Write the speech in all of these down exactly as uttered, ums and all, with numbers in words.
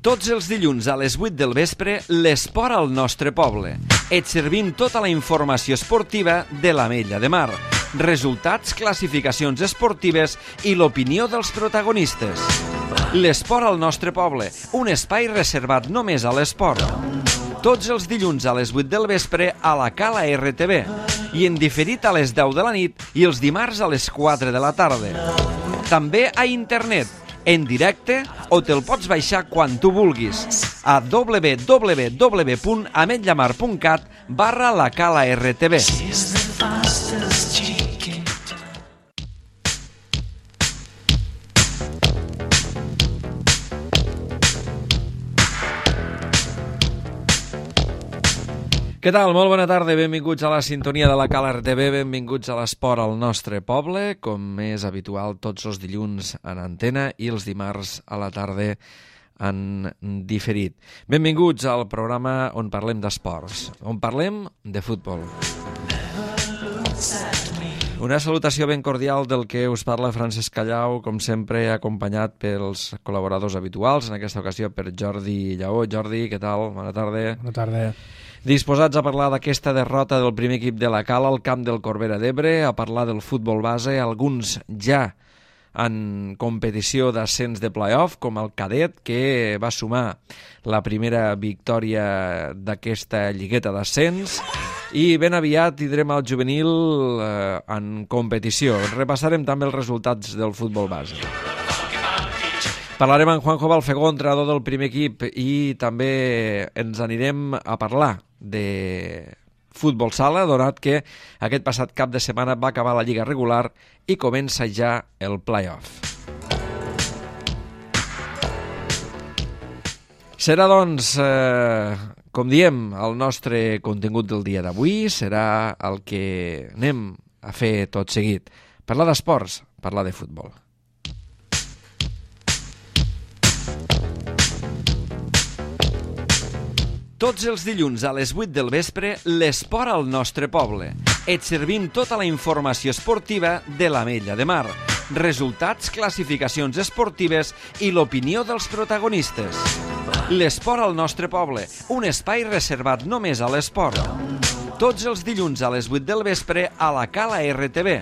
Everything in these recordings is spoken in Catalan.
Tots els dilluns a les vuit del vespre, l'esport al nostre poble. Et servim tota la informació esportiva de l'Ametlla de Mar, resultats, classificacions esportives i l'opinió dels protagonistes. L'esport al nostre poble, un espai reservat només a l'esport. Tots els dilluns a les vuit del vespre a la Cala R T V i en diferit a les deu de la nit i els dimarts a les quatre de la tarda. També a internet, en directe, o te'l pots baixar quan tu vulguis a w w w punt ametllamar punt cat barra la Cala R T V. Què tal? Molt bona tarda, benvinguts a la sintonia de la Cala R T V, benvinguts a l'esport al nostre poble, com és habitual tots els dilluns en antena i els dimarts a la tarda en diferit. Benvinguts al programa on parlem d'esports, on parlem de futbol. Una salutació ben cordial del que us parla Francesc Callau, com sempre acompanyat pels col·laboradors habituals, en aquesta ocasió per Jordi Lleó. Jordi, què tal? Bona tarda. Bona tarda. Disposats a parlar d'aquesta derrota del primer equip de la Cala al camp del Corbera d'Ebre, a parlar del futbol base, alguns ja en competició d'ascens de play-off, com el cadet, que va sumar la primera victòria d'aquesta lligueta d'ascens, i ben aviat tindrem el juvenil eh, en competició. Repassarem també els resultats del futbol base. Parlarem amb Juanjo Balfegó, entrenador del primer equip, i també ens anirem a parlar de futbol sala, donat que aquest passat cap de setmana va acabar la lliga regular i comença ja el play-off. Serà, doncs, eh, com diem, el nostre contingut del dia d'avui, serà el que anem a fer tot seguit. Parlar d'esports, parlar de futbol. Tots els dilluns a les vuit del vespre, l'esport al nostre poble. Et servim tota la informació esportiva de l'Ametlla de Mar, resultats, classificacions esportives i l'opinió dels protagonistes. L'esport al nostre poble, un espai reservat només a l'esport. Tots els dilluns a les vuit del vespre a la Cala R T V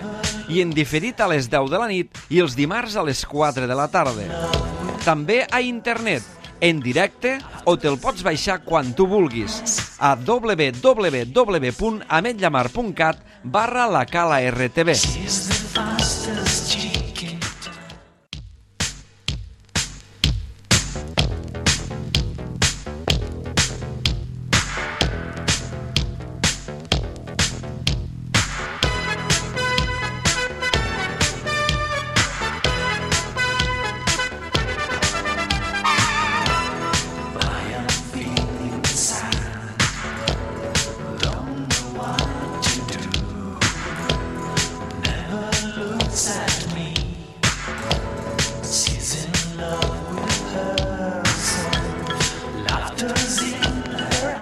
i en diferit a les deu de la nit i els dimarts a les quatre de la tarda. També a internet, en directe, o te'l pots baixar quan tu vulguis a w w w punt ametllamar punt cat barra la Cala R T V.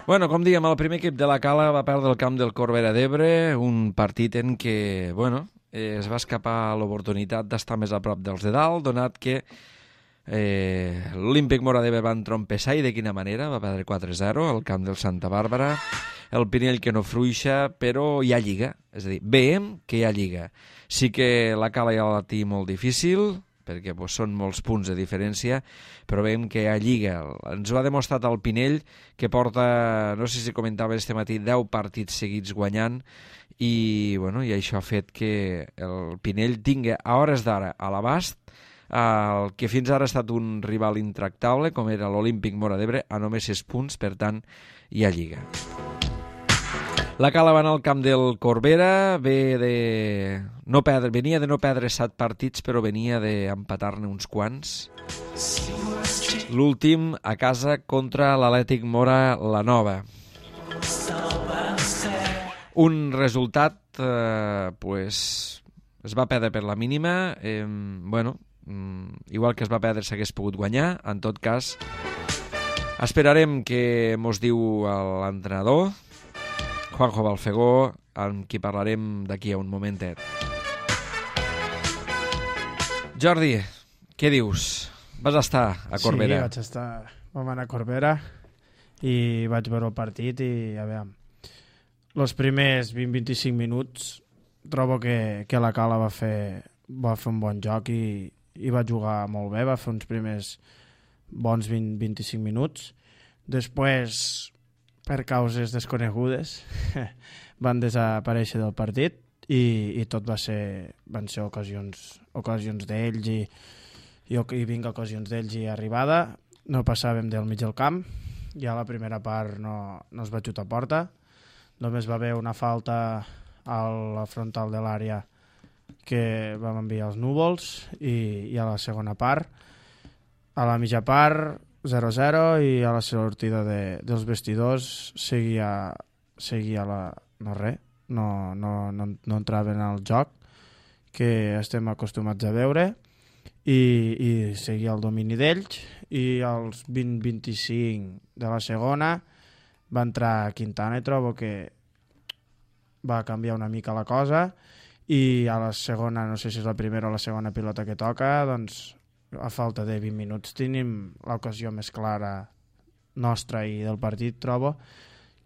Bueno, com dèiem, el primer equip de la Cala va perdre el camp del Corbera d'Ebre, un partit en què, bueno, es va escapar l'oportunitat d'estar més a prop dels de dalt, donat que eh, l'Olímpic Mora d'Ebre va entrompessar, i de quina manera, va perdre quatre zero al camp del Santa Bàrbara, el Pinell que no fruixa, però hi ha lliga, és a dir, veiem que hi ha lliga. Sí que la Cala ja la té molt difícil, perquè pues, són molts punts de diferència, però veiem que hi ha lliga. Ens ho ha demostrat el Pinell, que porta, no sé si comentava este matí, deu partits seguits guanyant, i, bueno, i això ha fet que el Pinell tingui a hores d'ara a l'abast el que fins ara ha estat un rival intractable, com era l'Olímpic Mora d'Ebre, a només sis punts, per tant, hi ha lliga. La Cala va anar al camp del Corbera, ve de no perdre, venia de no perdre set partits, però venia d'empatar-ne uns quants. L'últim a casa contra l'Atlètic Mora la Nova. Un resultat, eh, pues, es va perdre per la mínima, eh, bueno, igual que es va perdre s'hagués pogut guanyar, en tot cas, esperarem que mos diu l'entrenador, Juanjo Balfegó, amb qui parlarem d'aquí a un momentet. Jordi, què dius? Vas estar a Corbera. Sí, vaig estar, vam anar a Corbera i vaig veure el partit i a veure, els primers vint a vint-i-cinc minuts trobo que, que la Cala va fer, va fer un bon joc i, i va jugar molt bé, va fer uns primers bons vint a vint-i-cinc minuts. Després, per causes desconegudes, van desaparèixer del partit i, i tot va ser, van ser ocasions, ocasions d'ells i, i, i vinc ocasions d'ells i arribada. No passàvem del mig del camp, ja la primera part no, no es va xutar a porta, només va haver una falta a la frontal de l'àrea que vam enviar els núvols i, i a la segona part, a la mitja part zero a zero i a la sortida de, dels vestidors seguia, seguia la, no res, no, no, no, no entraven al joc que estem acostumats a veure i, i seguia el domini d'ells i als vint a vint-i-cinc de la segona va entrar Quintana i trobo que va canviar una mica la cosa i a la segona, no sé si és la primera o la segona pilota que toca, doncs a falta de vint minuts tenim l'ocasió més clara nostra i del partit, trobo,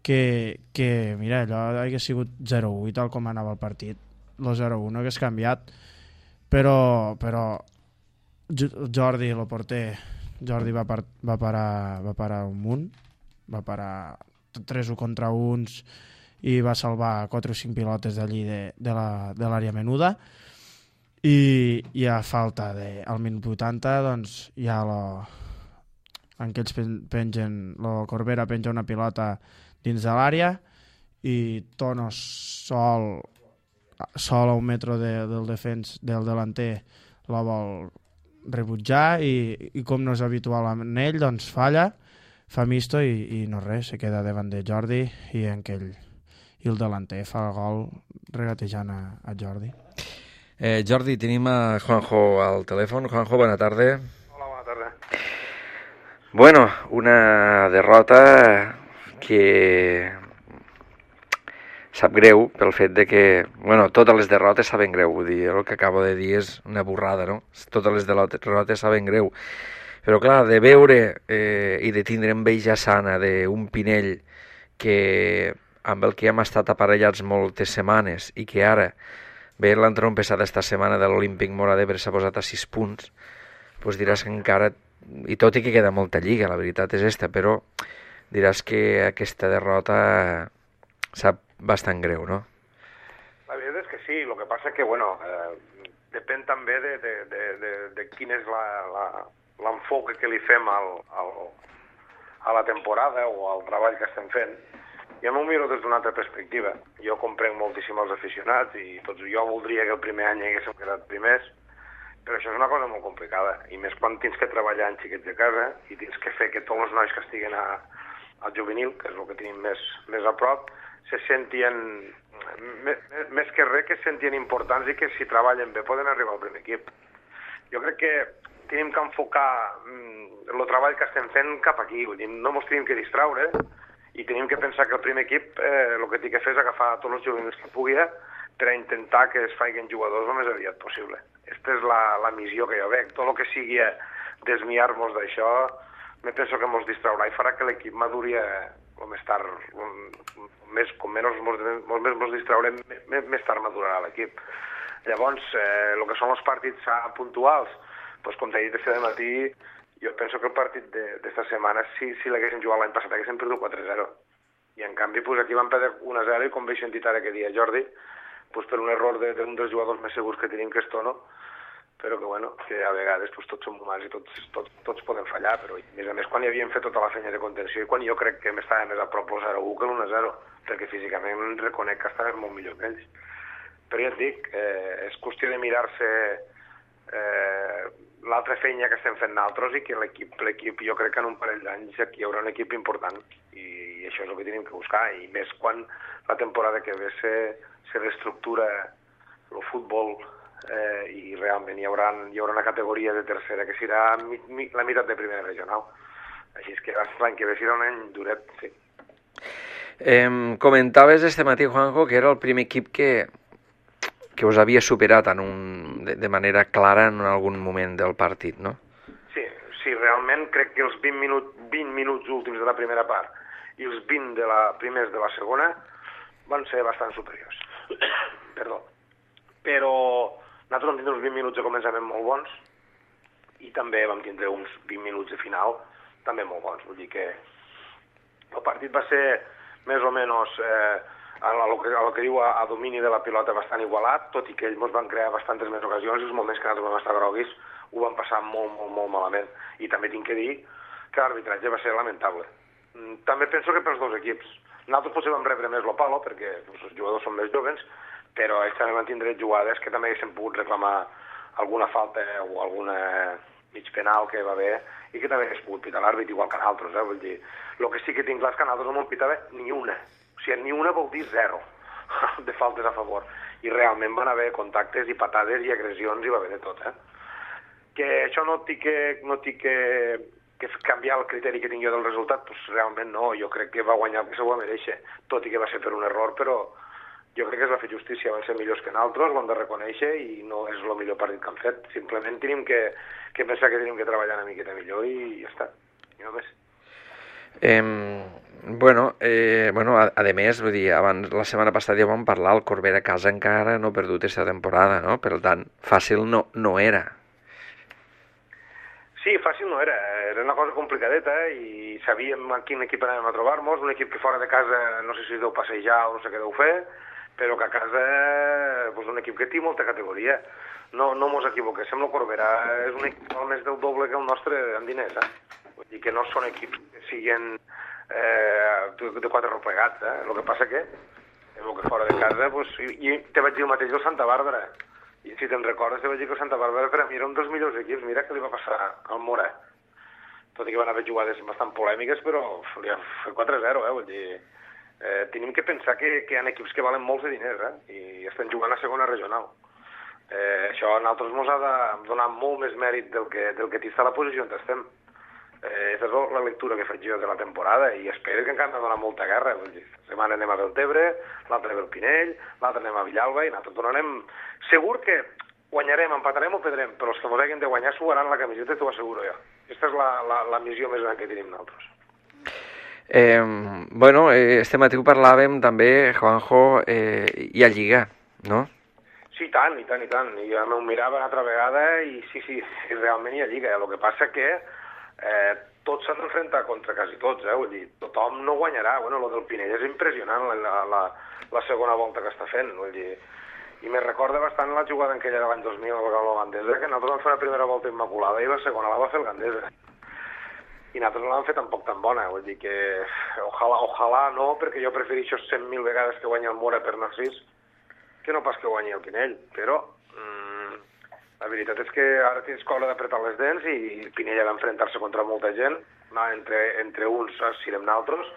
que, que mira, allò hagués sigut zero a u tal com anava el partit. El zero a u no hagués canviat, però, però Jordi, el porter, Jordi va, par, va, parar, va parar un munt, va parar tres u contra uns i va salvar quatre o cinc pilotes d'allí de, de l'àrea la, menuda. I, i a falta de, al minut vuitanta doncs ja lo, en què ells pengen, la Corbera penja una pilota dins de l'àrea i Tono sol sol a un metre de, del defens del delanter la vol rebutjar i, i com no és habitual en ell doncs falla, fa misto i, i no res, se queda davant de Jordi i en aquell i el delanter fa el gol regatejant a, a Jordi. Eh, Jordi, tenim a Juanjo al telèfon. Juanjo, bona tarda. Hola, bona tarda. Bueno, una derrota que sap greu pel fet de que, bueno, totes les derrotes saben greu, vull dir, el que acabo de dir és una burrada, no? Totes les derrotes saben greu. Però clar, de veure eh, i de tindre enveja sana d'un Pinell que amb el que hem estat aparellats moltes setmanes i que ara bé, l'entrompessada esta setmana de l'Olímpic Móra d'Ebre s'ha posat a sis punts, doncs diràs que encara, i tot i que queda molta lliga, la veritat és esta, però diràs que aquesta derrota sap bastant greu, no? La veritat és que sí, el que passa que, bueno, eh, depèn també de, de, de, de, de quin és l'enfoc que li fem al, al, a la temporada o al treball que estem fent. Jo m'ho miro des d'una altra perspectiva. Jo comprenc moltíssim els aficionats i tots jo voldria que el primer any haguéssim quedat primers, però això és una cosa molt complicada, i més quan tens que treballar en xiquets de casa i tens que fer que tots els nois que estiguen a, al juvenil, que és el que tenim més, més a prop, se sentien, més, més que res, que se sentien importants i que si treballen bé poden arribar al primer equip. Jo crec que tenim que enfocar mm, el treball que estem fent cap aquí, vull dir, no ens tenim que distraure, i tenim que pensar que el primer equip eh, el que té que fer és agafar tots els juvenils que pugui per a intentar que es facin jugadors el més aviat possible. Aquesta és la, la missió que jo veig. Tot el que sigui desviar-nos d'això, me penso que ens distraurà i farà que l'equip maduri el més tard, el, més, com menys ens distraurem, més, més tard madurarà l'equip. Llavors, eh, el que són els partits puntuals, doncs, com t'he dit aquest matí, jo penso que el partit d'esta setmana, si, si l'haguéssim jugat l'any passat, haguéssim perdut quatre a zero. I en canvi, pues, aquí vam perdre un a zero i com vaig sentit ara que dia Jordi, pues, per un error d'un de, dels jugadors més segurs que tenim, que és Tono, però que, bueno, que a vegades pues, tots som humans i tots, tots, tots podem fallar, però a més a més quan hi havíem fet tota la feina de contenció i quan jo crec que m'estava més a prop el zero a u que l'un a zero, perquè físicament reconec que estava molt millor que ells. Però ja et dic, eh, és qüestió de mirar-se eh, l'altra feina que estem fent nosaltres i que l'equip, l'equip jo crec que en un parell d'anys aquí hi haurà un equip important i, i això és el que tenim que buscar, i més quan la temporada que ve se, se reestructura el futbol eh, i realment hi haurà, hi haurà una categoria de tercera que serà mi, mi, la meitat de primera regional. Així és que l'any que ve serà un any duret, sí. Eh, comentaves este matí, Juanjo, que era el primer equip que que us havia superat en un, de, de manera clara en algun moment del partit, no? Sí, sí, realment crec que els vint minuts, vint minuts últims de la primera part i els vint de la, primers de la segona van ser bastant superiors. Perdó. Però nosaltres vam tindre uns vint minuts de començament molt bons i també vam tindre uns vint minuts de final també molt bons. Vull dir que el partit va ser més o menys eh, a lo que, a lo que diu a, a domini de la pilota bastant igualat, tot i que ells ens van crear bastantes més ocasions i els moments que nosaltres vam estar groguis ho van passar molt, molt, molt malament. I també tinc que dir que l'arbitratge va ser lamentable. També penso que pels dos equips. Nosaltres potser vam rebre més lo palo, perquè doncs, els jugadors són més joves, però ells també van tindre jugades que també haguessin pogut reclamar alguna falta o alguna mig penal que va haver i que també hagués pogut pitar l'àrbit, igual que nosaltres. Eh? Vull dir, el que sí que tinc clar és que nosaltres no m'ho pitava ni una. O sigui, ni una vol dir zero de faltes a favor. I realment van haver contactes i patades i agressions i va haver de tot. Eh? Que això no té que, no té que, que canviar el criteri que tinc jo del resultat, doncs realment no, jo crec que va guanyar el que se ho va mereixer, tot i que va ser per un error, però jo crec que es va fer justícia, van ser millors que nosaltres, ho hem de reconèixer i no és el millor partit que han fet, simplement tenim que, que pensar que tenim que treballar una miqueta millor i ja està, i no més. Eh, bueno, eh, bueno, a, a més, vull dir, abans, la setmana passada ja vam parlar, el Corbera a casa encara no ha perdut aquesta temporada, no? Per tant, fàcil no, no era. Sí, fàcil no era, era una cosa complicadeta i sabíem a quin equip anàvem a trobar-nos, un equip que fora de casa no sé si es deu passejar o no sé què deu fer, però que a casa és un equip que té molta categoria. No, no mos equivoquéssim, el Corbera és un equip més del doble que el nostre en diners, eh? Vull dir que no són equips que siguin eh, de quatre replegats, eh? El que passa que, el que fora de casa, pues, i, i te vaig dir el mateix del Santa Bàrbara. I si te'n recordes, te vaig dir que el Santa Bàrbara per a mi era un dels millors equips. Mira què li va passar al Mora. Tot i que van haver jugades bastant polèmiques, però li ha fet quatre a zero, eh? Vull dir, eh, tenim que pensar que, que hi ha equips que valen molts de diners, eh? I estan jugant a segona regional. Eh, això a nosaltres ens ha de donar molt més mèrit del que, del que t'està a la posició on estem. Eh, és la lectura que faig jo de la temporada i espero que encara m'ha donat molta guerra. Vull dir, la setmana anem a Deltebre, l'altra ve al Pinell, l'altra anem a Villalba i nosaltres donarem... Segur que guanyarem, empatarem o perdrem, però els que mos hagin de guanyar suaran la camiseta, t'ho asseguro jo. Aquesta és la, la, la missió més gran que tenim nosaltres. Eh, bueno, eh, este matí ho parlàvem també, Juanjo, eh, hi ha Lliga, no? Sí, tant, i tant, i tant. I ja m'ho mirava una altra vegada i sí, sí, realment hi ha Lliga. El que passa que eh, tots s'han d'enfrontar contra quasi tots, eh? Vull dir, tothom no guanyarà. Bueno, lo del Pinell és impressionant, la, la, la segona volta que està fent, vull dir... I me recorda bastant la jugada en aquella de l'any dos mil amb el Gandesa, que nosaltres vam fer la primera volta immaculada i la segona la va fer el Gandesa. I nosaltres no l'hem fet tampoc tan bona, vull dir que ojalà, ojalà no, perquè jo prefereixo cent mil vegades que guanyi el Mora per Narcís que no pas que guanyi el Pinell, però mmm, la veritat és que ara tens cola d'apretar les dents i el Pinell ha d'enfrontar-se contra molta gent, no, entre, entre uns serem nosaltres,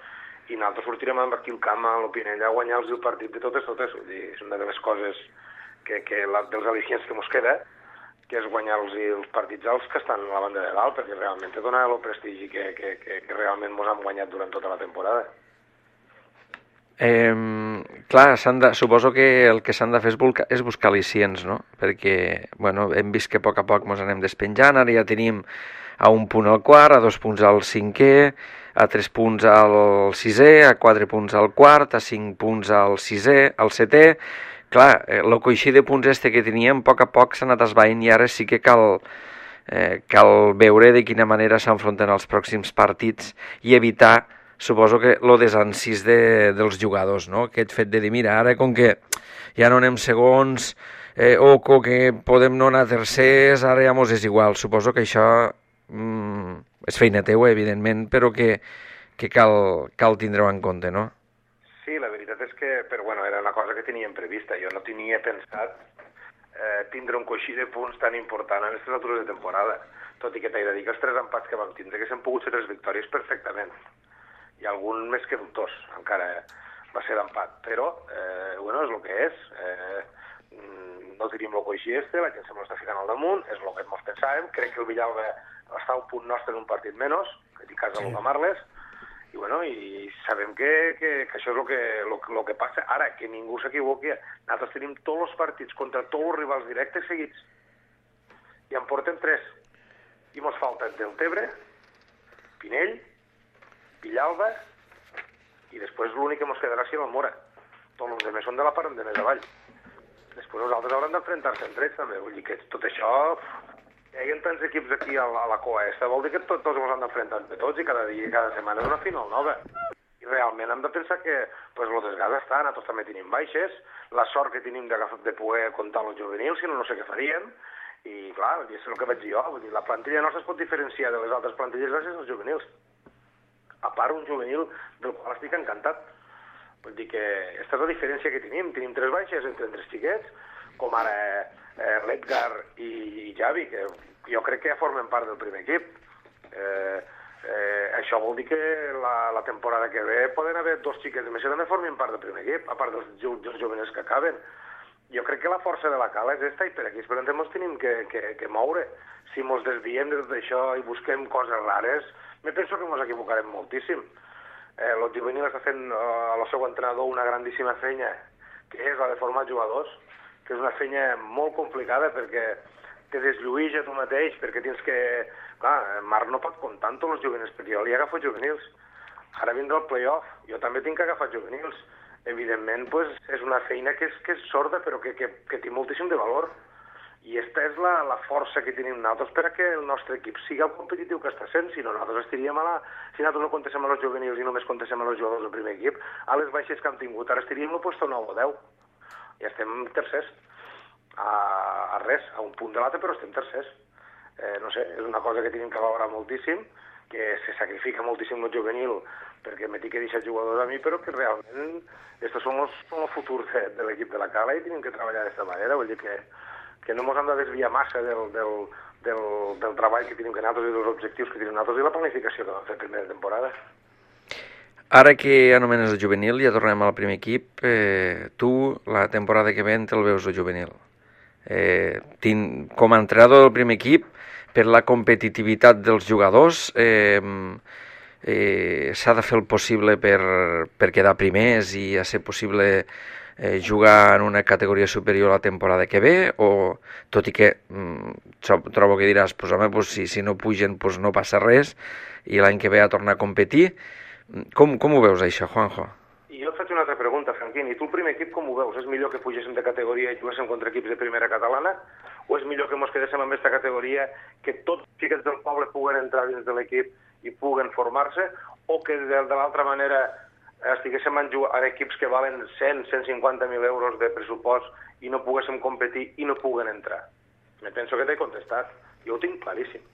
i nosaltres sortirem amb aquí el camp a l'Opinell a guanyar-los el partit de totes, totes. Vull dir, és una de les coses que, que la, dels al·licients que mos queda, que és guanyar-los els partits als que estan a la banda de dalt, perquè realment te dona el prestigi que, que, que, que realment mos han guanyat durant tota la temporada. Eh, clar, de, suposo que el que s'han de fer és, buscar, és buscar al·licients, no? Perquè, bueno, hem vist que a poc a poc mos anem despenjant, ara ja tenim a un punt al quart, a dos punts al cinquè, a tres punts al sisè, a quatre punts al quart, a cinc punts al sisè, al setè. Clar, el coixí de punts este que teníem, a poc a poc s'ha anat esvaint i ara sí que cal, eh, cal veure de quina manera s'enfronten els pròxims partits i evitar, suposo que, lo desencís de, dels jugadors, no? Aquest fet de dir, mira, ara com que ja no anem segons, eh, o que podem no anar tercers, ara ja mos és igual. Suposo que això... Mm, és feina teua, evidentment, però que, que cal, cal tindre-ho en compte, no? Sí, la veritat és que, però bueno, era una cosa que teníem prevista. Jo no tenia pensat eh, tindre un coixí de punts tan important en aquestes altures de temporada, tot i que t'he de dir que els tres empats que vam tindre, que s'han pogut ser tres victòries perfectament, i algun més que dubtós, encara va ser d'empat, però, eh, bueno, és el que és. Eh, no tenim el coixí este, la gent se m'ho està ficant al damunt, és el que ens pensàvem. Crec que el Villalba està a un punt nostre en un partit menys, que té casa sí. Marles, i bueno, i sabem que, que, que això és el que, lo, lo que passa. Ara, que ningú s'equivoqui, nosaltres tenim tots els partits contra tots els rivals directes seguits, i en portem tres. i mos falta Deltebre, Pinell, Villalba, i després l'únic que mos quedarà serà el Mora. Tots els altres són de la part de més avall. Després nosaltres hauran d'enfrontar-se entre ells també. Vull dir que tot això... Hi ha tants equips aquí a la, a la coa esta, vol dir que tot, tots ens han d'enfrontar entre tots i cada dia i cada setmana és una final nova. I realment hem de pensar que pues, el desgast està, nosaltres també tenim baixes, la sort que tenim de, de poder comptar els juvenils, si no, no sé què faríem. I clar, és el que vaig dir jo, vull dir, la plantilla nostra es pot diferenciar de les altres plantilles gràcies als juvenils. A part, un juvenil del qual estic encantat. Vull dir que aquesta és la diferència que tenim. Tenim tres baixes entre tres xiquets, com ara eh, l'Edgar i, i Javi, que jo crec que ja formen part del primer equip. Eh, eh, això vol dir que la, la temporada que ve poden haver dos xiquets més que també formin part del primer equip, a part dels, dels jovenils que acaben. Jo crec que la força de la cala és esta i per aquí esperant ens tenim que, que, que moure. Si ens desviem de tot això i busquem coses rares, me penso que ens equivocarem moltíssim. Eh, el juvenil està fent eh, al seu entrenador una grandíssima feina, que és la de formar jugadors, que és una feina molt complicada perquè te deslluïs a tu mateix, perquè tens que... Clar, Marc no pot comptar amb tots els juvenils, perquè jo li agafo juvenils. Ara vindrà el play-off, jo també tinc que agafar juvenils. Evidentment, pues, és una feina que és, que és sorda, però que, que, que té moltíssim de valor. I aquesta és la, la força que tenim nosaltres per a que el nostre equip sigui el competitiu que està sent. Si no, nosaltres estaríem a la... Si nosaltres no contéssim a els juvenils i només contéssim a els jugadors del primer equip, a les baixes que hem tingut, ara estaríem al lloc nou o deu. Ja estem tercers. A, a res, a un punt de l'altre, però estem tercers. Eh, no sé, és una cosa que tenim que valorar moltíssim, que se sacrifica moltíssim el juvenil perquè me tinc que deixar jugadors a mi, però que realment estos són els, són el futur de, de l'equip de la Cala i tenim que treballar d'aquesta manera. Vull dir que, que no ens hem de desviar massa del, del, del, del treball que tenim que nosaltres i dels objectius que tenim nosaltres i la planificació que vam fer primera temporada. Ara que anomenes el juvenil, ja tornem al primer equip, eh, tu la temporada que ve te'l veus el juvenil. Eh, tinc, com a entrenador del primer equip, per la competitivitat dels jugadors, eh, eh, s'ha de fer el possible per, per quedar primers i a ser possible eh, jugar en una categoria superior la temporada que ve, o tot i que mm, trobo que diràs, pues, home, pues, si, si no pugen pues, no passa res i l'any que ve a tornar a competir. Com, com ho veus això, Juanjo? I jo et faig una altra pregunta, Franquín. I tu el primer equip com ho veus? És millor que pugéssim de categoria i juguéssim contra equips de primera catalana? O és millor que ens quedéssim en aquesta categoria, que tots els xiquets del poble puguen entrar dins de l'equip i puguen formar-se? O que de, de l'altra manera estiguéssim en, en equips que valen cent, cent cinquanta mil euros de pressupost i no poguéssim competir i no puguen entrar? Me penso que t'he contestat. Jo ho tinc claríssim.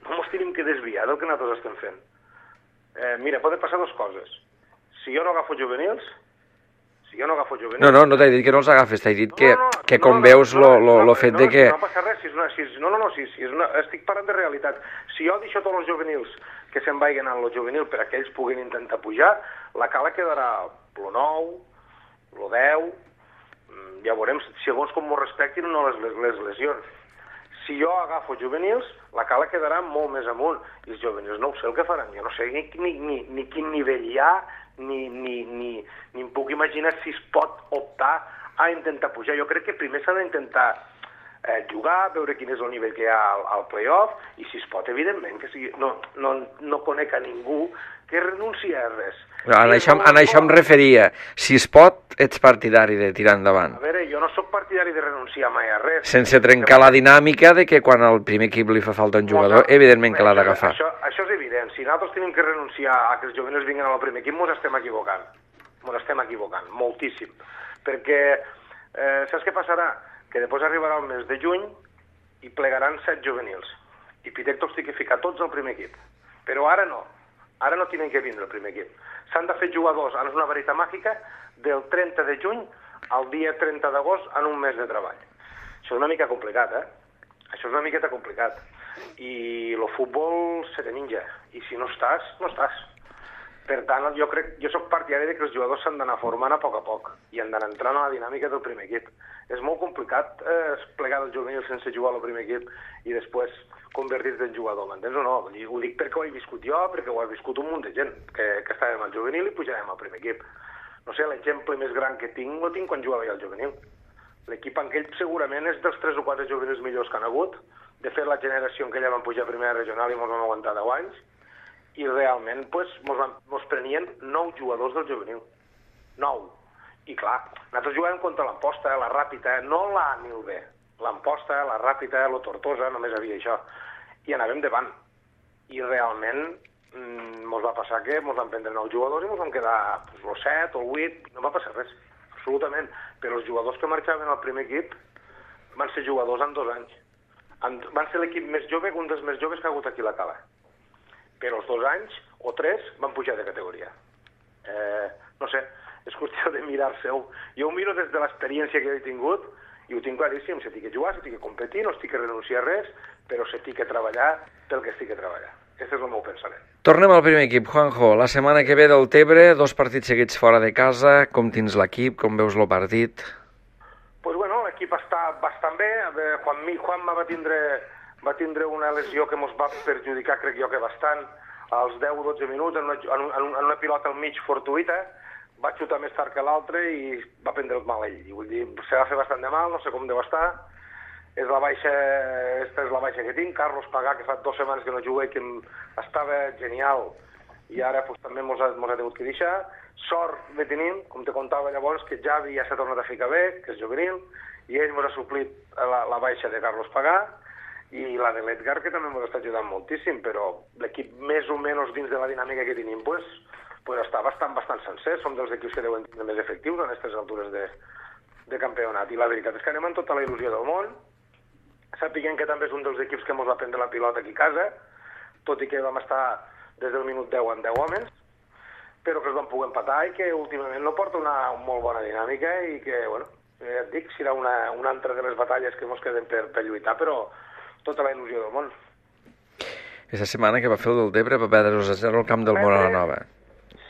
No ens tenim que desviar del que nosaltres estem fent. Eh, mira, poden passar dues coses. Si jo no agafo juvenils, si jo no agafo juvenils... No, no, no t'he dit que no els agafes, t'he dit no, que, no, no, que no, com no, veus no, lo, lo, no, lo fet no, de que... No passa res, si és una, si és, no, no, no, si, si és una, estic parlant de realitat. Si jo deixo tots els juvenils que se'n vagin en el juvenil per a que ells puguin intentar pujar, la Cala quedarà lo nou, lo deu, ja veurem, segons com m'ho respectin o no les, les, les lesions. Si jo agafo juvenils, la Cala quedarà molt més amunt. I els juvenils no ho sé el que faran. Jo no sé ni, ni, ni, ni quin nivell hi ha, ni, ni, ni, ni em puc imaginar si es pot optar a intentar pujar. Jo crec que primer s'ha d'intentar eh, jugar, veure quin és el nivell que hi ha al, al play-off, i si es pot, evidentment, que sigui, no, no, no conec a ningú que renuncia a res. No, en, això, en això em referia. Si es pot, ets partidari de tirar endavant. A veure, jo no sóc partidari de renunciar mai a res. Sense trencar la dinàmica de que quan al primer equip li fa falta un jugador, evidentment que l'ha d'agafar. Això, això és evident. Si nosaltres tenim que renunciar a que els juvenils vinguin al primer equip, ens estem equivocant. Ens estem equivocant, moltíssim. Perquè, eh, saps què passarà? Que després arribarà el mes de juny i plegaran set juvenils. I Pitectos té que ficar tots al primer equip. Però ara no. Ara no tenen que vindre al primer equip. S'han de fer jugadors, és una varita màgica, del trenta de juny al dia trenta d'agost en un mes de treball. Això és una mica complicat, eh? Això és una miqueta complicat. I el futbol se te menja. I si no estàs, no estàs. Per tant, jo crec, jo soc partidari de que els jugadors s'han d'anar formant a poc a poc i han d'anar entrant a la dinàmica del primer equip. És molt complicat eh, plegar del juvenil sense jugar al primer equip i després convertir-te en jugador, m'entens o no? Ho dic perquè ho he viscut jo, perquè ho ha viscut un munt de gent, que, que estàvem al juvenil i pujàvem al primer equip. No sé, l'exemple més gran que tinc, lo tinc quan jugava al juvenil. L'equip en aquell segurament és dels tres o quatre juvenils millors que han hagut, De fet, la generació en què ella van pujar a primera regional i ens vam aguantar deu anys, i realment pues, mos, van, mos prenien nou jugadors del juvenil. Nou. I clar, nosaltres jugàvem contra l'Amposta, la Ràpita, no la A ni el B. L'Amposta, la Ràpita, la Tortosa, només havia això. I anàvem davant. I realment mmm, mos va passar que mos van prendre nou jugadors i mos vam quedar pues, el set o el vuit, no va passar res, absolutament. Però els jugadors que marxaven al primer equip van ser jugadors en dos anys. En, van ser l'equip més jove, un dels més joves que ha hagut aquí a la Cala. Però els dos anys o tres van pujar de categoria. Eh, no sé, és qüestió de mirar-se-ho. Jo ho miro des de l'experiència que he tingut i ho tinc claríssim, se tinc que jugar, se tinc que competir, no estic que renunciar a res, però se tinc que treballar pel que estic que treballar. Aquest és el meu pensament. Tornem al primer equip, Juanjo. La setmana que ve del Tebre, dos partits seguits fora de casa. Com tens l'equip? Com veus el partit? Pues bueno, l'equip està bastant bé. Juan, Juanma va tindre, va tindre una lesió que ens va perjudicar, crec jo que bastant, als deu o dotze minuts, en una, en, en una pilota al mig fortuïta. Va xutar més tard que l'altre i va prendre el mal ell. I vull dir, se va fer bastant de mal, no sé com deu estar. És la baixa, esta és la baixa que tinc. Carlos Pagà, que fa dues setmanes que no juga i que estava genial, i ara pues, també mos ha, mos ha tingut que deixar. Sort de tenim, com te contava llavors, que Javi ja s'ha tornat a ficar bé, que és juvenil, i ell mos ha suplit la, la baixa de Carlos Pagà, i la de l'Edgar, que també mos està ajudant moltíssim, però l'equip més o menys dins de la dinàmica que tenim, pues, pues està bastant, bastant sencer. Som dels equips que deuen tenir més efectius en aquestes altures de, de campionat, i la veritat és que anem amb tota la il·lusió del món. Sapiguem que també és un dels equips que ens va prendre la pilota aquí a casa, tot i que vam estar des del minut deu en deu homes, però que es van poder empatar i que últimament no porta una molt bona dinàmica i que, bueno, ja et dic, serà una, una altra de les batalles que ens queden per, per lluitar, però tota la il·lusió del món. Aquesta setmana que va fer el del Tebre va perdre dos a zero al camp del Moralanova.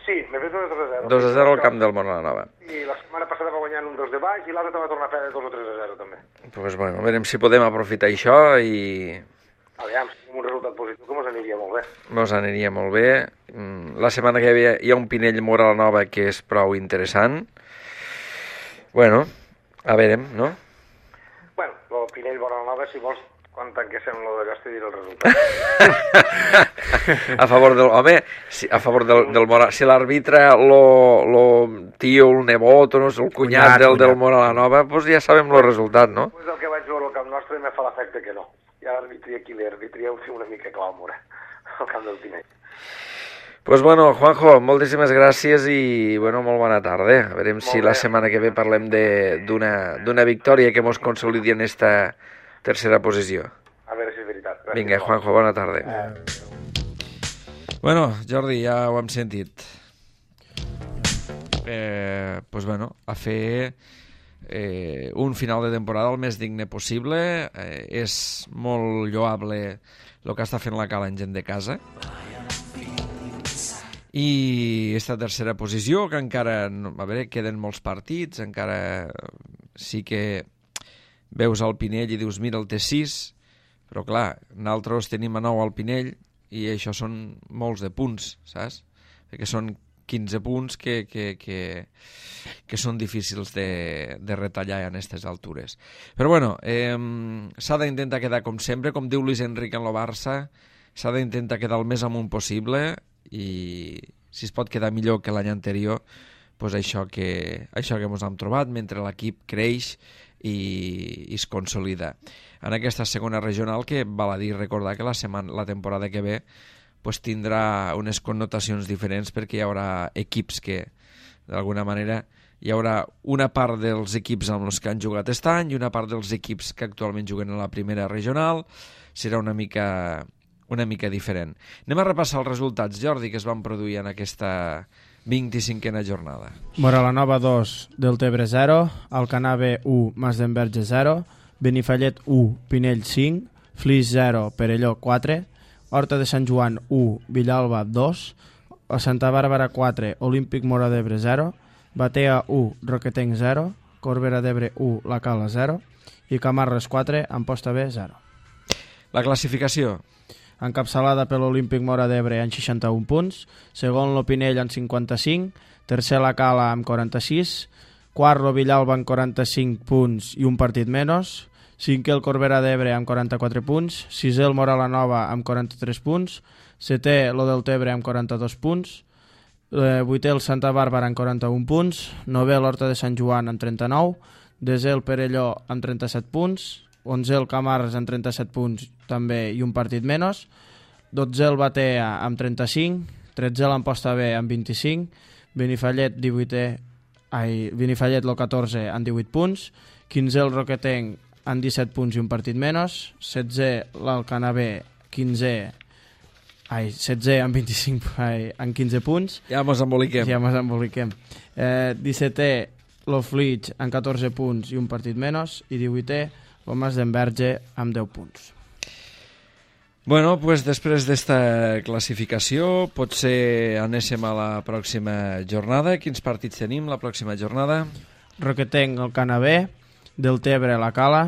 Sí, m'he fet dos a zero. dos a zero al camp del Moralanova. I la setmana passada va guanyar un dos de baix i l'altre va tornar a perdre dos o tres a zero també. Pues bueno, a veure si podem aprofitar això i... Aviam, si tenim un resultat positiu que ens aniria molt bé. Ens aniria molt bé. La setmana que ve hi ha un Pinell Moralanova que és prou interessant. Bueno, a veure, no? Bueno, el Pinell Moralanova, si vols, quan tanquéssim lo d'allò, t'hi diré el resultat. A favor del... Home, si, a favor del, del Mora... Si l'arbitre, lo, lo tio, el nebot, o no sé, el cunyat, cunyat del, del Moralanova, doncs ja sabem el resultat, no? Pues el que vaig veure al camp nostre me fa l'efecte que no. Ja l'arbitria aquí, l'arbitria ho té una mica clau, al camp del Pinell. Pues bueno, Juanjo, moltíssimes gràcies i bueno, molt bona tarda. A veure si la setmana que ve parlem d'una victòria que mos consolidi en esta tercera posició. A veure si és veritat. Gràcies. Vinga, Juanjo, bona tarda. Eh... Bueno, Jordi, ja ho hem sentit. Eh, pues bueno, a fer eh, un final de temporada el més digne possible. Eh, és molt lloable el que està fent la Cala en gent de casa. I esta tercera posició, que encara, a veure, queden molts partits, encara sí que veus el Pinell i dius, mira, el té sis, però clar, nosaltres tenim a nou al Pinell i això són molts de punts, saps? Perquè són quinze punts que, que, que, que són difícils de, de retallar en aquestes altures. Però bueno, eh, s'ha d'intentar quedar com sempre, com diu Luis Enrique en el Barça, s'ha d'intentar quedar el més amunt possible i si es pot quedar millor que l'any anterior, doncs això que, això que ens hem trobat mentre l'equip creix i, i es consolida. En aquesta segona regional, que val a dir recordar que la, setmana, la temporada que ve pues, tindrà unes connotacions diferents perquè hi haurà equips que, d'alguna manera, hi haurà una part dels equips amb els que han jugat aquest any i una part dels equips que actualment juguen a la primera regional. Serà una mica... una mica diferent. Anem a repassar els resultats, Jordi, que es van produir en aquesta vint-i-cinquena jornada. Moralanova dos, Deltebre zero, Alcanave u, Masdenverge zero, Benifallet u, Pinell cinc, Flix zero, Perelló quatre, Horta de Sant Joan u, Villalba dos, a Santa Bàrbara quatre, Olímpic Mora d'Ebre zero, Batea u, Roquetenc zero, Corbera d'Ebre u, La Cala zero i Camarles quatre, Amposta B zero. La classificació. Encapçalada per l'Olímpic Mora d'Ebre amb seixanta-un punts, segon l'Opinell amb cinquanta-cinc, tercer la Cala amb quaranta-sis, quart lo Villalba amb quaranta-cinc punts i un partit menys, cinquè el Corbera d'Ebre amb quaranta-quatre punts, sisè el Móra la Nova amb quaranta-tres punts, setè lo del Tebre amb quaranta-dos punts, eh, vuitè el Santa Bàrbara amb quaranta-un punts, novè l'Horta de Sant Joan amb trenta-nou, desè el Perelló amb trenta-set punts, onzè el Camarles amb trenta-set punts també i un partit menys, dotzè el Batea amb trenta-cinc, tretzè l'Amposta B amb vint-i-cinc, Benifallet divuitè, ai, Benifallet el catorze amb divuit punts, quinzè el Roquetenc amb disset punts i un partit menys, setzè l'Alcanar B, quinzè, ai, setzè amb vint-i-cinc, ai, amb quinze punts. Ja mos emboliquem. Ja mos emboliquem. Eh, dissetè l'Oflitx amb catorze punts i un partit menys, i divuitè el Mas d'Enverge amb deu punts. Bueno, pues després d'esta classificació potser anéssim a la pròxima jornada. Quins partits tenim la pròxima jornada? Roquetenc, el Canabé, del Tebre, la Cala,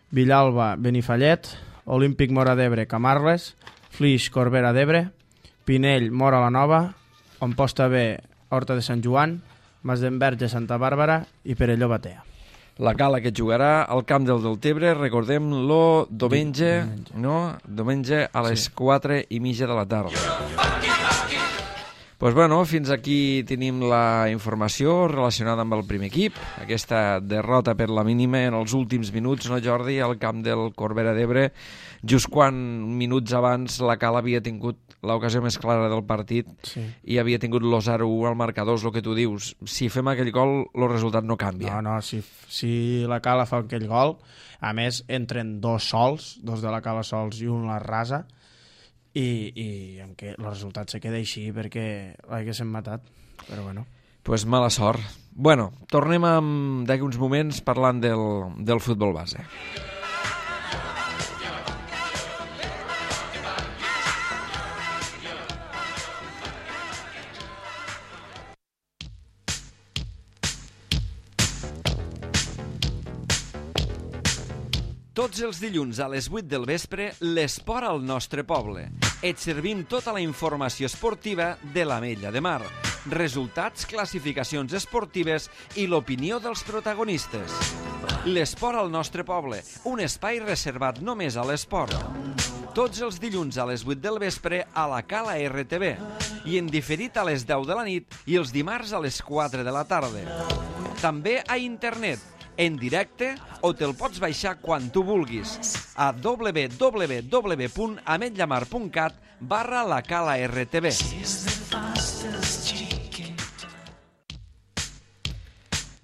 Villalba, Benifallet, Olímpic Móra d'Ebre, Camarles, Flix, Corbera d'Ebre, Pinell, Móra la Nova, Amposta B, Horta de Sant Joan, Mas d'Enverge, Santa Bàrbara i Perelló Batea. La Cala que jugarà al camp del Deltebre, recordem-lo, diumenge, no? Diumenge a les sí. quatre i mitja de la tarda. Pues bueno, fins aquí tenim la informació relacionada amb el primer equip. Aquesta derrota per la mínima en els últims minuts, no Jordi, al camp del Corbera d'Ebre, just quan minuts abans la Cala havia tingut l'ocasió més clara del partit sí. i havia tingut lo zero u al marcador, el que tu dius. Si fem aquell gol, el resultat no canvia. No, no, si, si la Cala fa aquell gol, a més entren dos sols, dos de la Cala sols i un la rasa, i, i en què el resultat se queda així perquè l'haguessin matat, però bueno. Pues mala sort. Bueno, tornem d'aquí uns moments parlant del, del futbol base. Tots els dilluns a les vuit del vespre, l'esport al nostre poble. Et servim tota la informació esportiva de l'Ametlla de Mar, resultats, classificacions esportives i l'opinió dels protagonistes. L'esport al nostre poble, un espai reservat només a l'esport. Tots els dilluns a les vuit del vespre a la Cala R T V i en diferit a les deu de la nit i els dimarts a les quatre de la tarda. També a internet, en directe, o te'l pots baixar quan tu vulguis a w w w punt ametllamar punt cat barra la Cala R T V.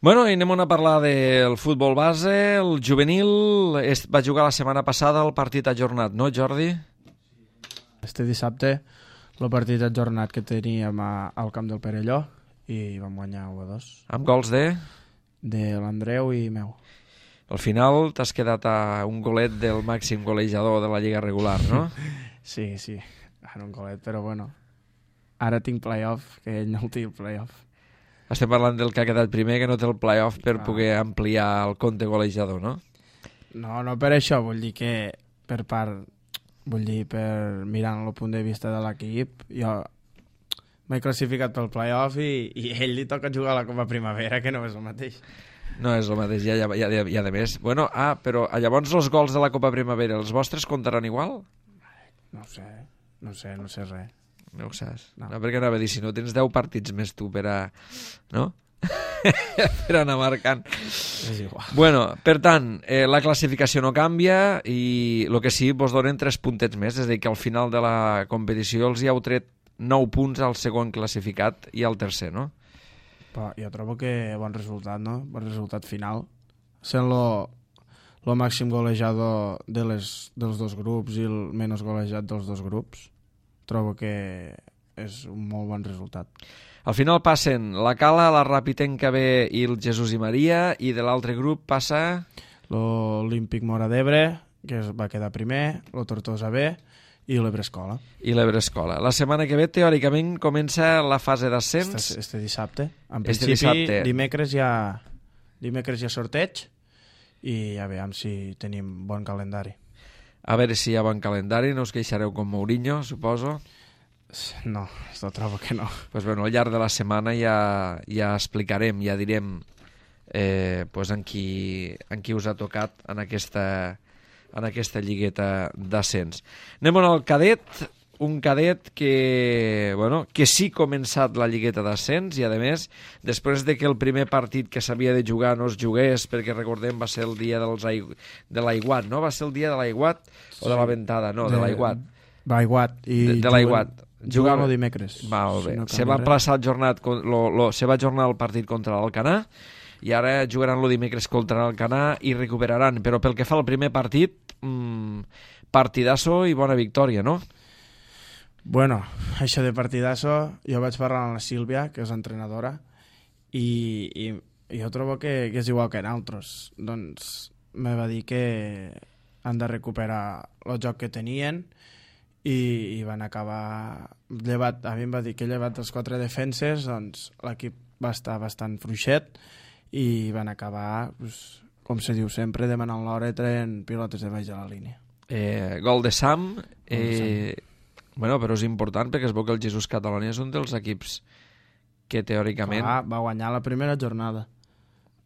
Bueno, i anem a parlar del futbol base. El juvenil es va jugar la setmana passada el partit ajornat, no, Jordi? Este dissabte el partit ajornat que teníem a, al camp del Perelló i vam guanyar u a dos. Amb gols de? De l'Andreu i meu. Al final t'has quedat a un golet del màxim golejador de la Lliga regular, no? Sí, sí, ara un golet, però bueno, ara tinc play-off, que ell no el té el play-off. Estem parlant del que ha quedat primer, que no té el play-off per ah. poder ampliar el compte golejador, no? No, no per això, vull dir que per part, vull dir, per mirant el punt de vista de l'equip, jo m'he classificat pel play-off i, i ell li toca jugar a la Copa Primavera, que no és el mateix. No és el mateix, ja, ja, ja, ja de més. Bueno, ah, però llavors els gols de la Copa Primavera, els vostres comptaran igual? No sé, no sé, no sé res. No ho saps? No, no perquè anava a dir, si no tens deu partits més tu per a... no? per anar marcant. És igual. Bueno, per tant, eh, la classificació no canvia i el que sí, vos donen tres puntets més, és a dir, que al final de la competició els hi heu tret nou punts al segon classificat i al tercer, no? Però jo trobo que bon resultat, no? Bon resultat final. Sent lo, lo màxim golejador de les, dels dos grups i el menys golejat dels dos grups, trobo que és un molt bon resultat. Al final passen la Cala, la Ràpitenca B i el Jesús i Maria, i de l'altre grup passa... L'Olímpic Móra d'Ebre, que va quedar primer, el Tortosa B i l'Ebre Escola. I l'Ebre Escola. La setmana que ve, teòricament, comença la fase d'ascens. Este, este dissabte. En este principi, dissabte. dimecres hi ha, dimecres hi ha sorteig i a veure si tenim bon calendari. A veure si hi ha bon calendari, no us queixareu com Mourinho, suposo. No, jo trobo que no. Pues bueno, al llarg de la setmana ja, ja explicarem, ja direm eh, pues en, qui, en qui us ha tocat en aquesta, en aquesta lligueta d'ascens. Anem al cadet, un cadet que, bueno, que sí ha començat la lligueta d'ascens i, a més, després de que el primer partit que s'havia de jugar no es jugués, perquè recordem va ser el dia dels aig... de l'aiguat, no? Va ser el dia de l'aiguat o de la ventada? No, de, de l'aiguat. L'aiguat. De, de l'aiguat. Juguen el dimecres. Molt bé. Si no se va plaçar el jornat, lo, lo, se va ajornar el partit contra l'Alcanar i ara jugaran el dimecres contra l'Alcanar i recuperaran. Però pel que fa al primer partit, mmm, partidasso i bona victòria, no? Bueno, això de partidasso, jo vaig parlar amb la Sílvia, que és entrenadora, i, i, i jo trobo que, que és igual que nosaltres. Doncs me va dir que han de recuperar el joc que tenien i, i van acabar llevat, a mi em va dir que llevat els quatre defenses, doncs l'equip va estar bastant fluixet i van acabar, pues, com se diu sempre, demanant l'hora i traient pilotes de baix de la línia. Eh, gol de Sam, eh, bueno, però és important perquè es veu que el Jesús Catalonia és un dels equips que teòricament... Ah, va guanyar la primera jornada.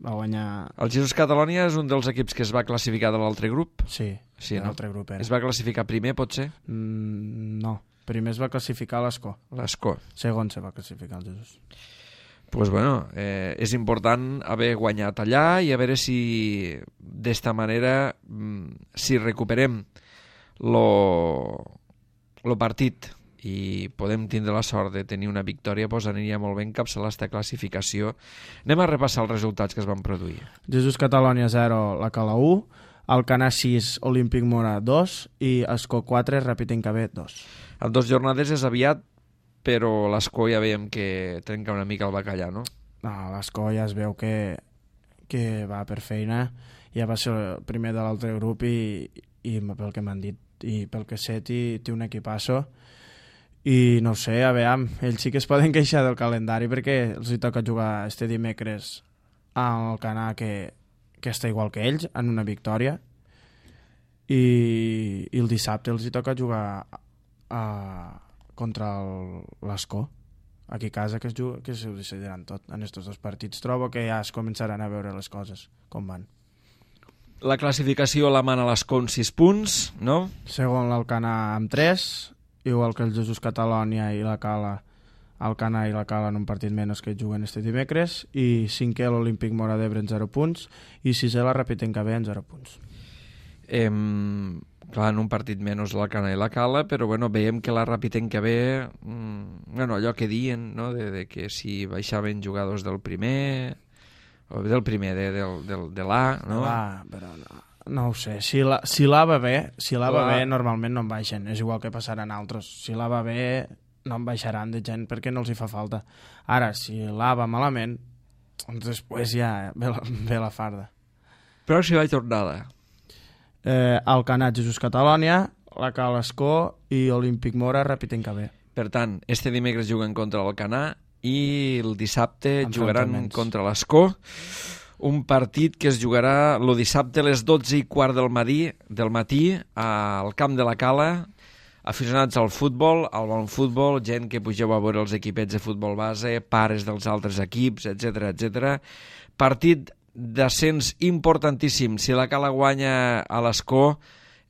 Va guanyar... El Jesús Catalonia és un dels equips que es va classificar de l'altre grup? Sí, sí, no? l'altre grup era. Es va classificar primer, potser? Mm, no, primer es va classificar l'Escó. L'Escó. Segon se va classificar el Jesús. Pues bueno, eh, és important haver guanyat allà i a veure si d'esta manera, si recuperem lo, lo partit i podem tindre la sort de tenir una victòria, doncs aniria molt bé encapçalar aquesta classificació. Anem a repassar els resultats que es van produir. Jesús Catalonia zero, la Cala u, Alcanar sis, Olímpic Mora dos i Escó quatre, Ràpid Incabé dos. En dues jornades és aviat, però l'Escó ja veiem que trenca una mica el bacallà, no? No, l'Escó ja es veu que, que va per feina, ja va ser el primer de l'altre grup i, i pel que m'han dit i pel que sé té un equipasso i no sé, a veure, ells sí que es poden queixar del calendari perquè els hi toca jugar este dimecres al Alcanar que, que està igual que ells, en una victòria i, i el dissabte els hi toca jugar a, contra l'Escó aquí a casa, que es, juga, que s'ho decidiran tot en aquests dos partits. Trobo que ja es començaran a veure les coses com van. La classificació la mana l'Escó amb sis punts, no? Segon l'Alcanar amb tres, igual que el Jesús Catalonia i la Cala, Alcanar i la Cala en un partit menys que juguen este dimecres, i cinquè l'Olímpic Mora d'Ebre en zero punts i sisè la Ràpid Incabé en zero punts. Eh, clar, en un partit menys l'Alcanar i la Cala, però bueno, veiem que la Ràpid Incabé, mm, bueno, allò que diuen, no?, de, de que si baixaven jugadors del primer, o del primer, de, de, de, de l'A, no? Ah, però no. No ho sé, si la, si la va bé, si la va bé normalment no en baixen, és igual que passaran altres. Si la va bé no en baixaran de gent perquè no els hi fa falta. Ara, si la va malament, doncs després ja ve la, ve la farda. Però si va tornada. Eh, Alcanar, Jesús Catalonia, la Cala Escó i Olímpic Mora, Ràpid Incabé. Per tant, este dimecres juguen contra l'Alcanar i el dissabte jugaran contra l'Escó. Un partit que es jugarà el dissabte a les dotze i quart del matí, del matí al camp de la Cala, aficionats al futbol, al bon futbol, gent que pugeu a veure els equipets de futbol base, pares dels altres equips, etcètera, etcètera. Partit d'ascens importantíssim. Si la Cala guanya a l'Escó,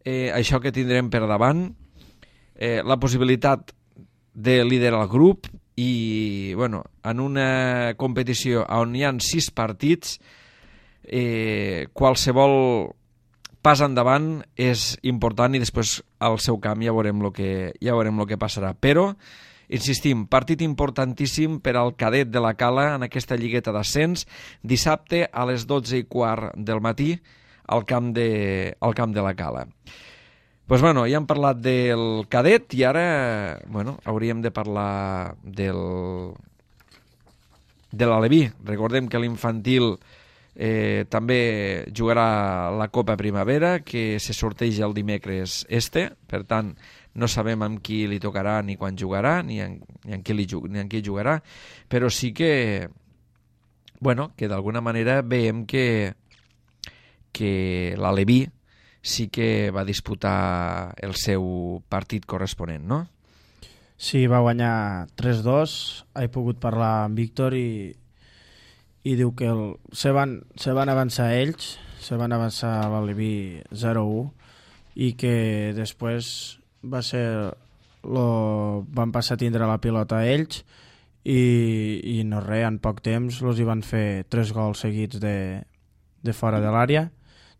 eh, això que tindrem per davant, eh, la possibilitat de liderar el grup i, bueno, en una competició on hi ha sis partits, eh, qualsevol pas endavant és important i després al seu camp ja veurem el que, ja veurem el que passarà. Però, insistim, partit importantíssim per al cadet de la Cala en aquesta lligueta d'ascens, dissabte a les dotze i quart del matí al camp de, al camp de la Cala. Pues bueno, ja hem parlat del cadet i ara, bueno, hauríem de parlar del de l'Aleví. Recordem que l'infantil eh, també jugarà la Copa Primavera, que se sorteja el dimecres este, per tant, no sabem amb qui li tocarà ni quan jugarà, ni en, ni en, qui, li, ni en qui jugarà, però sí que, bueno, que d'alguna manera veiem que, que l'Aleví sí que va disputar el seu partit corresponent, no? Sí, va guanyar tres dos, he pogut parlar amb Víctor i, i diu que el, se, van, se van avançar ells, se van avançar a l'Aleví zero a u i que després va ser lo, van passar a tindre la pilota a ells i, i no res, en poc temps los hi van fer tres gols seguits de, de fora de l'àrea,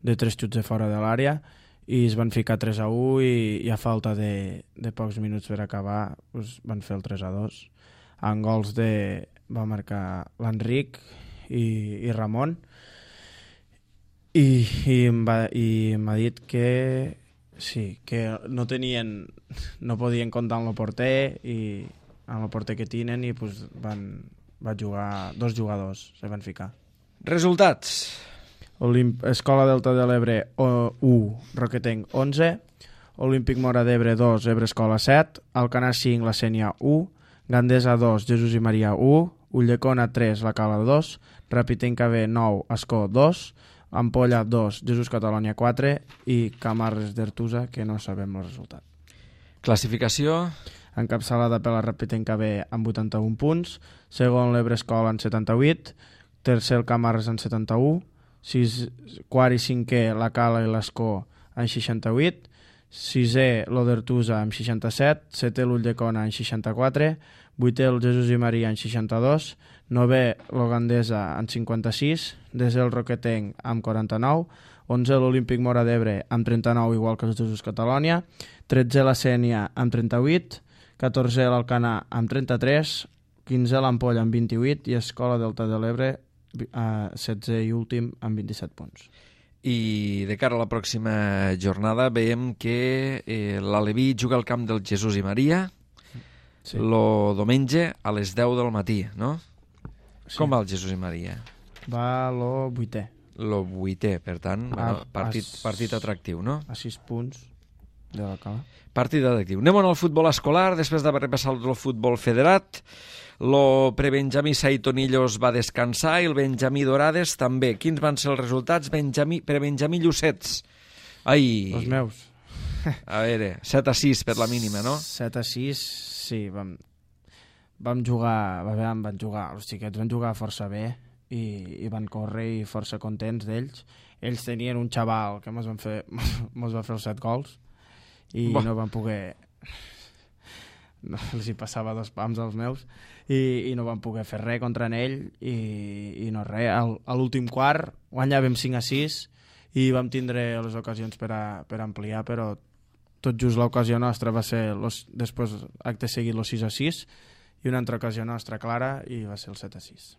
de tres xuts de fora de l'àrea, i es van ficar tres a u i, i a falta de, de pocs minuts per acabar pues, van fer el tres a dos. En gols de, va marcar l'Enric i, i Ramon i, i m'ha i m'ha dit que sí, que no tenien, no podien comptar amb el porter i amb el porter que tenen i pues, van, van jugar, dos jugadors se van ficar. Resultats. Olimp... Escola Delta de l'Ebre u, Roquetenc onze, Olímpic Mora d'Ebre dos, Ebre Escola set, Alcanar cinc, La Sénia u, Gandesa dos, Jesús i Maria u, Ulldecona tres, La Cala dos, Rapitenca B nou, Ascó dos, Ampolla dos, Jesús Catalònia quatre i Camarles d'Artusa, que no sabem el resultat. Classificació. Encapçalada per la Rapitenca B amb vuitanta-un punts, segon l'Ebre Escola en setanta-vuit, tercer el Camarles en setanta-u, sis, quart i cinquè la Cala i l'Escó en seixanta-vuit, sisè l'Odertusa amb seixanta-set, setè l'Ulldecona en seixanta-quatre, vuitè el Jesús i Maria en seixanta-dos, novè l'Ogandesa en cinquanta-sis, desè el Roquetenc amb quaranta-nou, onzè l'Olímpic Mora d'Ebre amb trenta-nou, igual que el Jesús Catalònia, tretzè la Sénia amb trenta-vuit, catorzè l'Alcanar amb trenta-tres, quinzè l'Ampolla amb vint-i-vuit i Escola Delta de l'Ebre Uh, setzè i últim amb vint-i-set punts. I de cara a la pròxima jornada veiem que eh, l'Aleví juga al camp del Jesús i Maria sí. Lo diumenge a les deu del matí, no? Sí. Com va el Jesús i Maria? Va lo vuitè. Lo vuitè, per tant, a, bueno, partit, a, partit atractiu, no? A sis punts de la Cala. Partit atractiu. Anem al futbol escolar, després d'haver repassat el futbol federat. Lo prebenjamí Saitonillos va descansar i el Benjamí Dorades també. Quins van ser els resultats? Benjamí, prebenjamí Llucets. Ai. Els meus. A veure, set a sis per la mínima, no? set a sis, sí. Vam, vam jugar, vam, van jugar, els xiquets van jugar força bé i, i van córrer i força contents d'ells. Ells tenien un xaval que mos van fer, mos va fer els set gols i Bo. no van poder... No, els hi passava dos pams als meus i, i no van poder fer res contra ell i, i no res, Al, a l'últim quart guanyàvem cinc a sis i vam tindre les ocasions per, a, per ampliar, però tot just l'ocasió nostra va ser los, després acte seguit el sis a sis i una altra ocasió nostra clara i va ser el set a sis.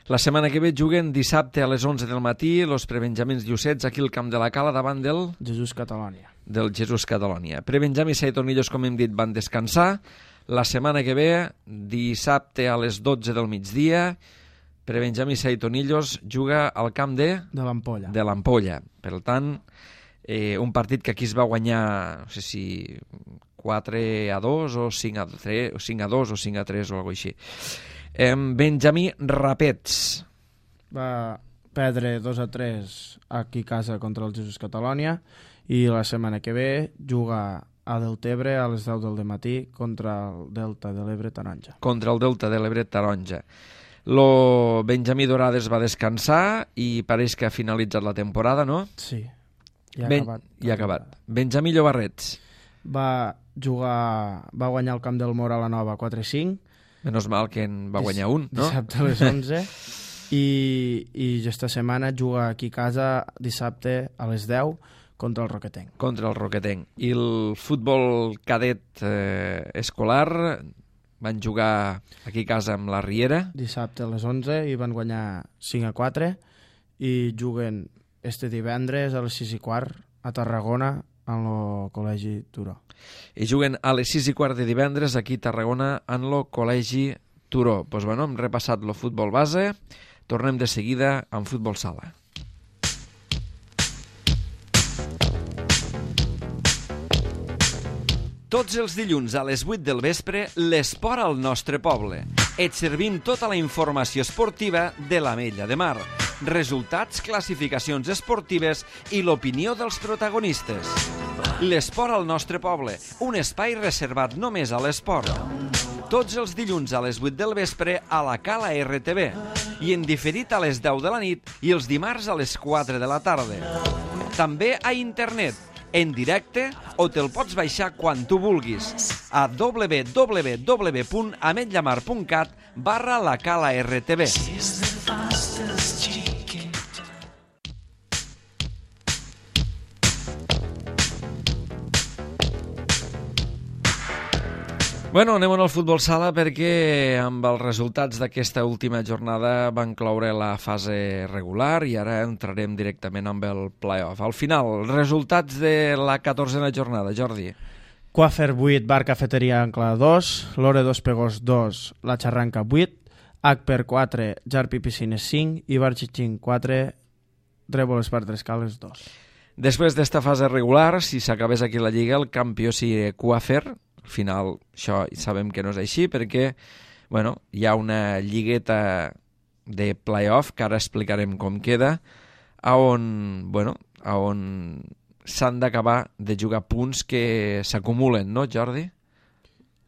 La setmana que ve juguen dissabte a les onze del matí los prebenjamins Llucets aquí al Camp de la Cala davant del... Jesús Catalònia. Del Jesús Catalònia. Prebenjamí Saitonillos, com hem dit, van descansar. La setmana que ve, dissabte a les dotze del migdia, Prebenjamí Saitonillos juga al camp de... De l'Ampolla. De l'Ampolla. Per tant, eh, un partit que aquí es va guanyar, no sé si quatre a dos o cinc a tres, o cinc a dos o cinc a tres o alguna cosa així. Eh, Benjamí Rapets. Va perdre dos a tres aquí a casa contra el Jesús Catalònia i la setmana que ve juga a Deltebre a les deu del matí contra el Delta de l'Ebre Taronja. Contra el Delta de l'Ebre Taronja. Lo Benjamí Dorades va descansar i pareix que ha finalitzat la temporada, no? Sí, ja ha ben, acabat. Ja ha acabat. Benjamí Llobarrets. Va jugar, va guanyar el camp del Mora a la Nova quatre a cinc. Menos mal que en va guanyar un, no? Dissabte a les onze. I, i aquesta setmana juga aquí a casa dissabte a les deu contra el Roquetenc. Contra el Roquetenc. I el futbol cadet eh, escolar van jugar aquí a casa amb la Riera. Dissabte a les onze i van guanyar cinc a quatre i juguen este divendres a les sis i quart a Tarragona en el Col·legi Turó. I juguen a les sis i quart de divendres aquí a Tarragona en el Col·legi Turó. Doncs pues bueno, hem repassat el futbol base, tornem de seguida amb futbol sala. Tots els dilluns a les vuit del vespre, l'esport al nostre poble. Et servim tota la informació esportiva de l'Ametlla de Mar, resultats, classificacions esportives i l'opinió dels protagonistes. L'esport al nostre poble, un espai reservat només a l'esport. Tots els dilluns a les vuit del vespre a la Cala R T V i en diferit a les deu de la nit i els dimarts a les quatre de la tarda. També a internet, en directe o te'l pots baixar quan tu vulguis a w w w punt ametllamar punt cat barra la Cala R T V. Bueno, anem al futbol sala perquè amb els resultats d'aquesta última jornada van cloure la fase regular i ara entrarem directament amb el play-off. Al final, resultats de la catorzena jornada, Jordi. Coafer vuit, Bar Cafeteria Ancla dos, Lore dos Pegós dos, La Xarranca vuit, Acper quatre, Jarpi Piscines cinc i Bar Xixín quatre, Trèvoles per Tres Cales dos. Després d'esta fase regular, si s'acabés aquí la Lliga, el campió sigui Coafer. Al final, això sabem que no és així perquè bueno, hi ha una lligueta de play-off que ara explicarem com queda, a on, bueno, a on s'han d'acabar de jugar punts que s'acumulen, no, Jordi?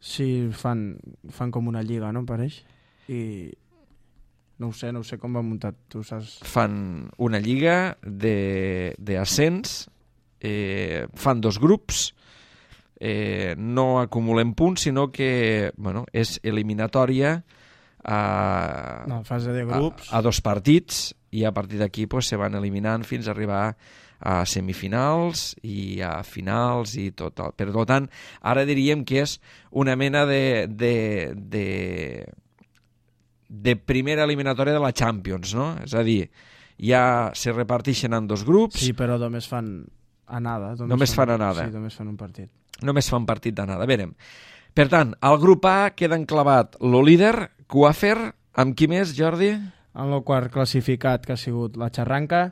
Sí, fan, fan com una lliga, no, em pareix? I no ho sé, no ho sé com va muntat, tu saps? Fan una lliga d'ascens, eh, fan dos grups, eh, no acumulen punts, sinó que bueno, és eliminatòria a, no, fase de grups. a, a dos partits i a partir d'aquí pues, se van eliminant fins a arribar a semifinals i a finals i tot. Per tant, ara diríem que és una mena de, de, de, de primera eliminatòria de la Champions, no? És a dir, ja se reparteixen en dos grups. Sí, però només fan anada. Només, només fan, fan anada. Sí, només fan un partit. Només fan partit d'anada. Verem. Per tant, al grup A queda enclavat lo líder, Coafer, amb qui més, Jordi? En el quart classificat, que ha sigut la Xarranca,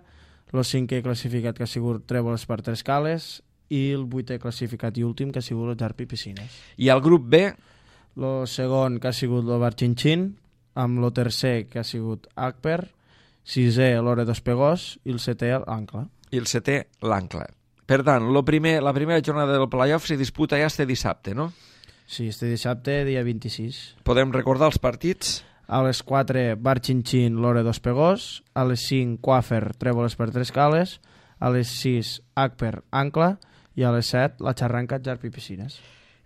el cinquè classificat, que ha sigut Trèvoles per Tres Cales, i el vuitè classificat i últim, que ha sigut el Jarpi Piscines. I al grup B? El segon, que ha sigut el Bar Xinxín, amb el tercer, que ha sigut Acper, sisè, l'Hora dos Pegós, i el setè, l'Ancla. I el setè, l'Ancla. Per tant, lo primer, la primera jornada del playoff se disputa ja este dissabte, no? Sí, este dissabte, dia vint-i-sis. Podem recordar els partits? A les quatre, Bar Xinxín, l'Hora dos Pegós, a les cinc, Coafer, Trèvoles per Tres Cales, a les sis, Acper, Ancla, i a les set, la Xarranca, Jarpi Piscines.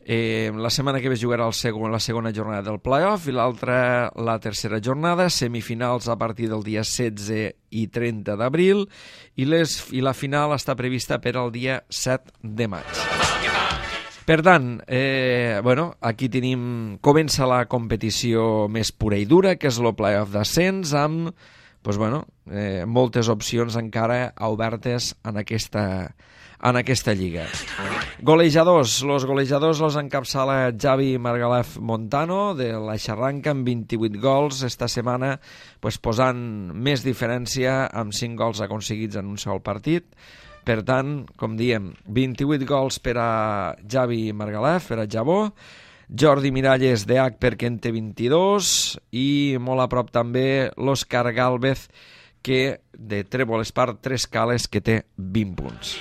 Eh, la setmana que ve jugarà el segon, la segona jornada del playoff i l'altra la tercera jornada, semifinals a partir del dia setze i trenta d'abril i, les, i la final està prevista per al dia set de maig. Per tant, eh, bueno, aquí tenim, comença la competició més pura i dura, que és el playoff d'ascens, amb pues, bueno, eh, moltes opcions encara obertes en aquesta en aquesta lliga. Golejadors. Los golejadors los encapçala Javi Margalef Montano de la Xarranca amb vint-i-vuit gols esta setmana, pues, posant més diferència amb cinc gols aconseguits en un sol partit. Per tant, com diem, vint-i-vuit gols per a Javi Margalef, per a Javó, Jordi Miralles de Acper, que en té vint-i-dos, i molt a prop també l'Òscar Gálvez, que de Trèvoles per Tres Cales, que té vint punts.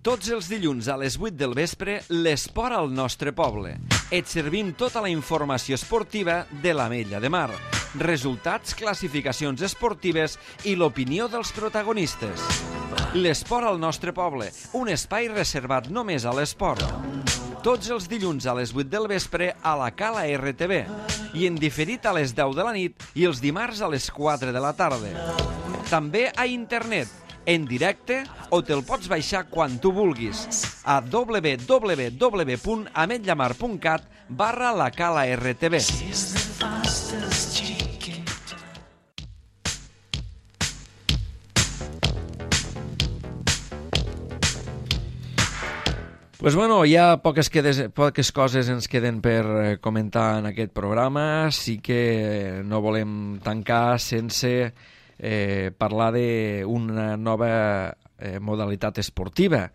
Tots els dilluns a les vuit del vespre, l'esport al nostre poble. Et servim tota la informació esportiva de l'Ametlla de Mar, resultats, classificacions esportives i l'opinió dels protagonistes. L'esport al nostre poble, un espai reservat només a l'esport. Tots els dilluns a les vuit del vespre a la Cala R T V i en diferit a les deu de la nit i els dimarts a les quatre de la tarda. També a internet, en directe o te'l pots baixar quan tu vulguis a w w w punt ametllamar punt cat barra la Cala R T V. Pues bueno, hi ha poques, quedes, poques coses ens queden per comentar en aquest programa. Sí que no volem tancar sense eh, parlar d'una nova eh, modalitat esportiva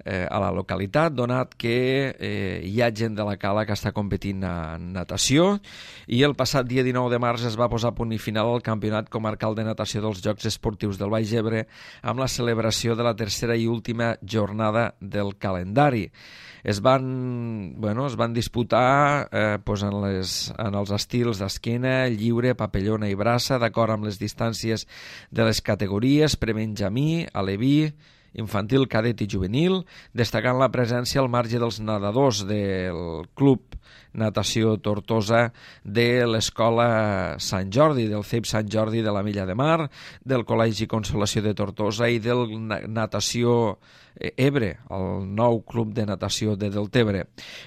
eh, a la localitat, donat que eh, hi ha gent de la Cala que està competint en natació, i el passat dia dinou de març es va posar a punt i final al Campionat Comarcal de Natació dels Jocs Esportius del Baix Ebre amb la celebració de la tercera i última jornada del calendari. Es van, bueno, es van disputar eh, pues en, les, en els estils d'esquena, lliure, papellona i braça, d'acord amb les distàncies de les categories prebenjamí, aleví, infantil, cadet i juvenil, destacant la presència al marge dels nedadors del Club Natació Tortosa de l'Escola Sant Jordi, del C E I P Sant Jordi de la Milla de Mar, del Col·legi Consolació de Tortosa i del Natació Ebre, el nou club de natació de Deltebre.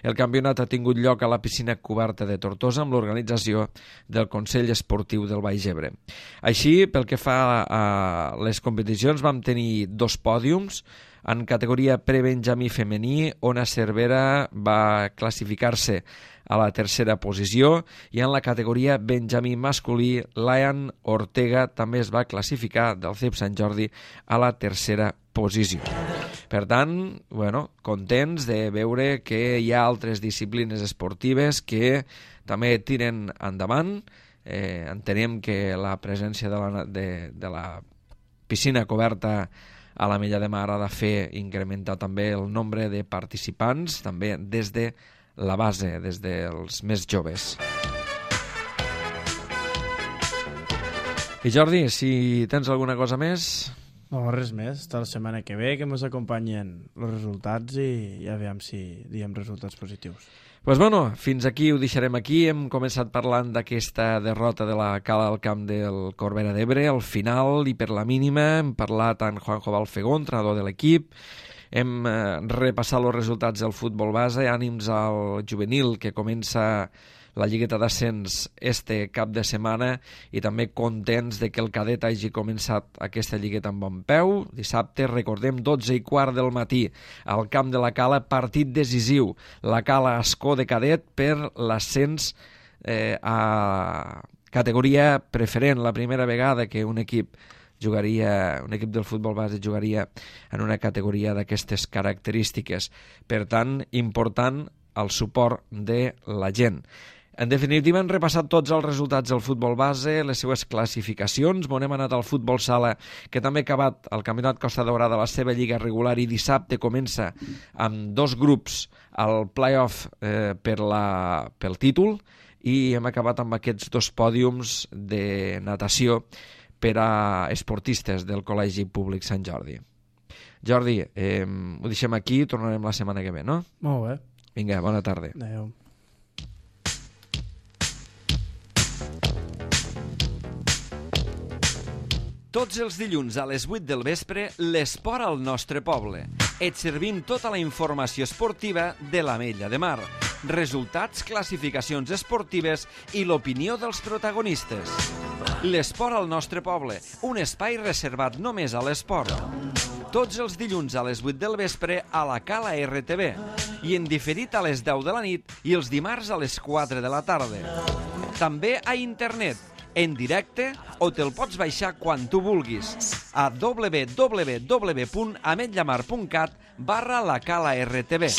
El campionat ha tingut lloc a la piscina coberta de Tortosa amb l'organització del Consell Esportiu del Baix Ebre. Així, pel que fa a les competicions, vam tenir dos pòdiums. En categoria prebenjamí femení, Ona Cervera va classificar-se a la tercera posició, i en la categoria benjamí masculí, Lian Ortega també es va classificar del C E I P Sant Jordi a la tercera posició. Per tant, bueno, contents de veure que hi ha altres disciplines esportives que també tiren endavant. Eh, entenem que la presència de la, de, de la piscina coberta a la Milla de Mar ha de fer incrementar també el nombre de participants, també des de la base, des dels més joves. I Jordi, si tens alguna cosa més... No, res més. Està la setmana que ve, que ens acompanyen els resultats i ja veiem si diem resultats positius. Pues bueno, fins aquí ho deixarem aquí. Hem començat parlant d'aquesta derrota de la Cala al camp del Corbera d'Ebre, al final i per la mínima. Hem parlat amb Juanjo Balfegó, entrenador de l'equip. Hem eh, repassat els resultats del futbol base, ànims al juvenil que comença la lligueta d'ascens este cap de setmana, i també contents de que el cadet hagi començat aquesta lligueta amb bon peu. Dissabte, recordem, dotze i quart del matí, al camp de la Cala, partit decisiu. La Cala Ascó de cadet per l'ascens eh, a categoria preferent, la primera vegada que un equip jugaria, un equip del futbol base jugaria en una categoria d'aquestes característiques. Per tant, important el suport de la gent. En definitiva, hem repassat tots els resultats del futbol base, les seues classificacions. M'on hem anat al futbol sala, que també ha acabat el Campionat Costa Daurada, la seva lliga regular, i dissabte comença amb dos grups al play-off eh, per la, pel títol, i hem acabat amb aquests dos pòdiums de natació per a esportistes del Col·legi Públic Sant Jordi. Jordi, eh, ho deixem aquí, tornarem la setmana que ve, no? Molt bé. Vinga, bona tarda. Adéu. Tots els dilluns a les vuit del vespre, l'esport al nostre poble. Et servim tota la informació esportiva de l'Ametlla de Mar. Resultats, classificacions esportives i l'opinió dels protagonistes. L'esport al nostre poble, un espai reservat només a l'esport. Tots els dilluns a les vuit del vespre a la Cala R T V i en diferit a les deu de la nit i els dimarts a les quatre de la tarda. També a internet, en directe, o te'l pots baixar quan tu vulguis a w w w punt ametllamar punt cat barra la Cala R T V.